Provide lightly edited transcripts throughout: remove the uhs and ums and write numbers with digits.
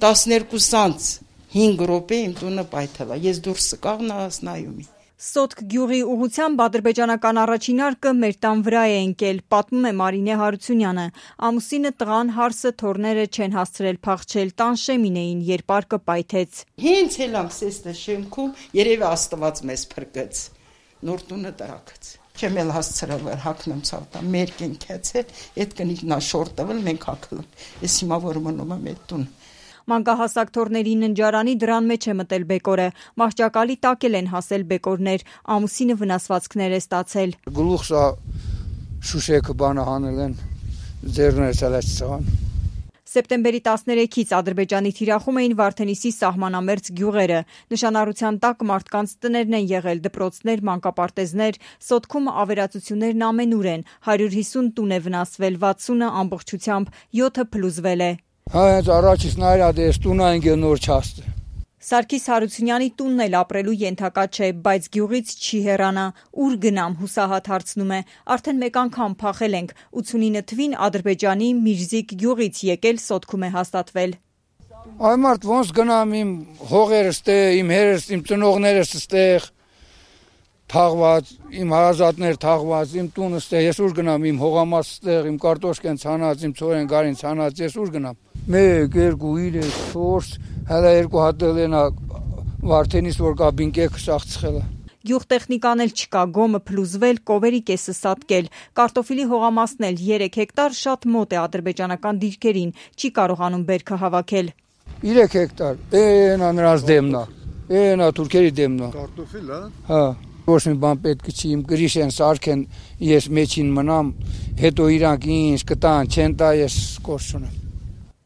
12-ից 5 րոպե իմ տունը պայթել է, ես դուրս եկա նայում եմ։ Սոտք գյուղի ուղղությամբ ադրբեջանական առաջին արկը մեր տան վրա է ընկել, պատմում է Մարինե Հարությունյանը։ Ամուսինը, տղան, հարսը, թոռները չեն հասցրել փախչել, տան շեմին էին, երբ արկը պայթեց։ Հենց ելամ սեստը շեմքում, երևի Աստված մեզ փրկեց, նոր տունը տրակեց։ Չեմ էլ հասցրել հակնեմ ցավտա, մեր կենքից է, այդ կնիկնա շորտվել, մենք հակլում։ Ես հիմա որ մնում եմ այդ տուն։ Մանկահասակ թոռների ննջարանի դռան մեջ է մտել բեկորը, մահճակալի տակ են հասել բեկորներ, ամուսինը վնասվածքներ է ստացել։ Գլուխը շուշեքը բանը հանել են, ձեռները ցալած ցան։ Սեպտեմբերի 13-ից Ադրբեջանի թիրախում էին Վարդենիսի սահմանամերձ գյուղերը։ Նշանառության տակ մարդկանց տներն են եղել, դպրոցներ, մանկապարտեզներ, Սոտքում ավերածություններն ամենուր են, 150 տուն է վնասվել, 60-ը ամբողջությամբ, 7-ը փլուզվել է։ Հենց առաջից նայրած ես տունը ընկել նոր չաստ։ Սարգիս Հարությունյանի տունն էլ ապրելու ենթակա չէ, բայց գյուղից չի հեռանա, ուր գնամ, հուսահատ հարցնում է, արդեն մեկ անգամ փախել ենք, 89 թվին Ադրբեջանի Միրզիկ գյուղից եկել Սոտքում է հաստատվել։ Այ մարդ ոնց գնամ իմ հողերս տե, իմ հերս, իմ ծնողներս ստեղ թաղված, իմ հարազատներ թաղված, իմ տունս տեղ, ես ուր գնամ, իմ հողամաս ստեղ, իմ կարտոշկեն ցանած, իմ ծորեն գարին ցանած, ես ուր գնամ։ 1, 2, 3, 4, հələ 2 հատ են Վարդենիս որ կաբին կեքը սաղցխել է։ Գյուղտեխնիկան էլ չկա, գոմը փլուզվել, կովերի կեսը սատկել, կարտոֆիլի հողամասն էլ 3 հեկտար շատ մոտ է ադրբեջանական դիրքերին, չի կարողանում բերքը հավաքել։ 3 հեկտար, էնա նրանց դեմն է, էնա թուրքերի դեմն է։ Կարտոֆիլ, հա։ Ոչ մի բան պետք չի, իմ գրիշ են սարքեն, ես մեջին մնամ, հետո իրանք ինչ կտան, չեն տա, ես կորս չունեմ։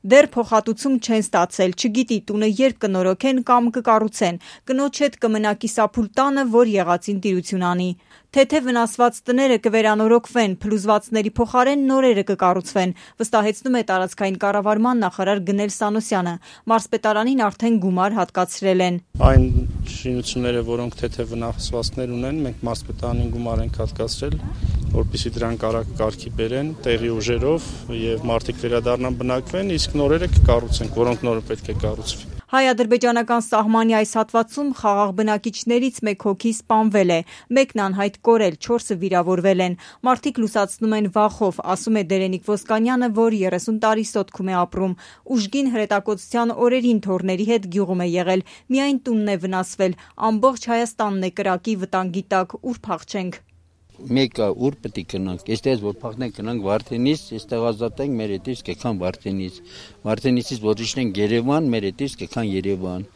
Դեռ փոխհատուցում չեն ստացել, չգիտի տունը երբ կնորոգեն կամ կկառուցեն, կնոջ հետ կմնա կիսափուլ տանը, որ եղածին տիրություն անի։ Թե վնասված տները կվերանորոգվեն, փլուզվածների փոխարեն նորերը կկառուցվեն, վստահեցնում է տարածքային կառավարման նախարար Գնել Սանոսյանը։ Մարզպետարանին արդեն գումար հատկացրել են։ Այն շինությունները, որոնք թե վնասվածքներ ունեն, մենք մարզպետարանին գումար ենք հատկացրել, որպեսզի դրանք արագ կարգի բերեն տեղի ուժերով եւ մարդիկ վերադառնան բնակվեն, իսկ նորերը կկառուցենք, որոնք նորը պետք է կառուցվի։ Հայ-ադրբեջանական սահմանի այս հատվածում խաղաղ բնակիչներից 1 հոգի սպանվել է, մեկն անհայտ կորել, 4-ը վիրավորվել են։ Մարդիկ լուսացնում են վախով, ասում է Դերենիկ Ոսկանյանը, որ 30 տարի Սոտքում է ապրում։ Ուժգին հրետակոծության օրերին թոռների հետ գյուղում է եղել, միայն տունն է վնասվել, ամբողջ Հայաստանն է կրակի վտանգի տակ, ուր փախչենք։ Մեկը ուր պետք է գնանք, այստեղ որ փախնենք գնանք Վարդենիս, այստեղ ազատենք մեր հետից կգան Վարդենիս, Վարդենիսից որ իջնենք Երևան, մեր հետից կգան Երևան։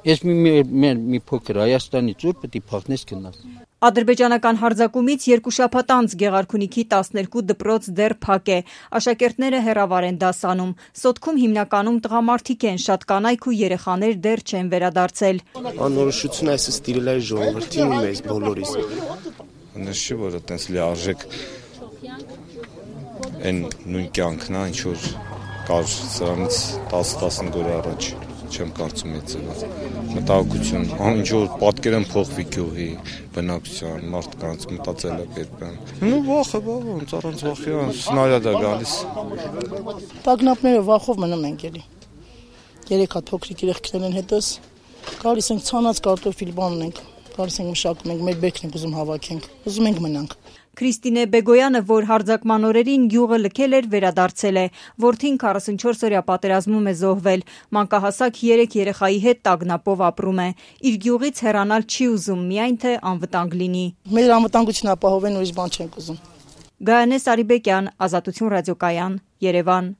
Ես մի փոքր Հայաստանից ուր պետք է փախնես գնաս։ Ադրբեջանական հարձակումից 2 շաբաթ անց Գեղարքունիքի 12 դպրոց դեռ փակ է, աշակերտները հեռավար են դասանում, Սոտքում հիմնականում տղամարդիկ են, շատ կանայք ու երեխաներ դեռ չեն վերադարձել։ Անորոշությունը այսպես տիրել է ժողովրդին մեզ բոլորիս։ Նշի որ այտենց լիարժեք այն նույն կյանքն է, ինչ որ կար սրանից 10-15 օր առաջ, չեմ կարծում այդ ձևով։ Մտահոգություն, ինչ որ պատկեր են փոխվի գյուղի բնակության, մարդկանց մտածելակերպն։ Ну վախը, ոնց առանց վախի, սնարյադ է գալիս։ Տագնապները վախով մնում ենք էլի։ 3 հատ փոքրիկ երեխաներ են հետս, գալիս ենք ցանած կարտոֆիլ բան ունենք, գալիս ենք մշակում ենք, մեր բերքն ենք ուզում հավաքենք, ուզում ենք մնանք։ Քրիստինե Բեգոյանը, որ հարձակման օրերին գյուղը լքել էր, վերադարձել է, որդին 44-օրյա պատերազմում է զոհվել, մանկահասակ 3 երեխայի հետ տագնապով ապրում է, իր գյուղից հեռանալ չի ուզում, միայն թե անվտանգ լինի։ Մեր անվտանգությունը ապահովեն, ուրիշ բան չենք ուզում։ Գայանե Սարիբեկյան, Ազատություն ռադիոկայան, Երևան։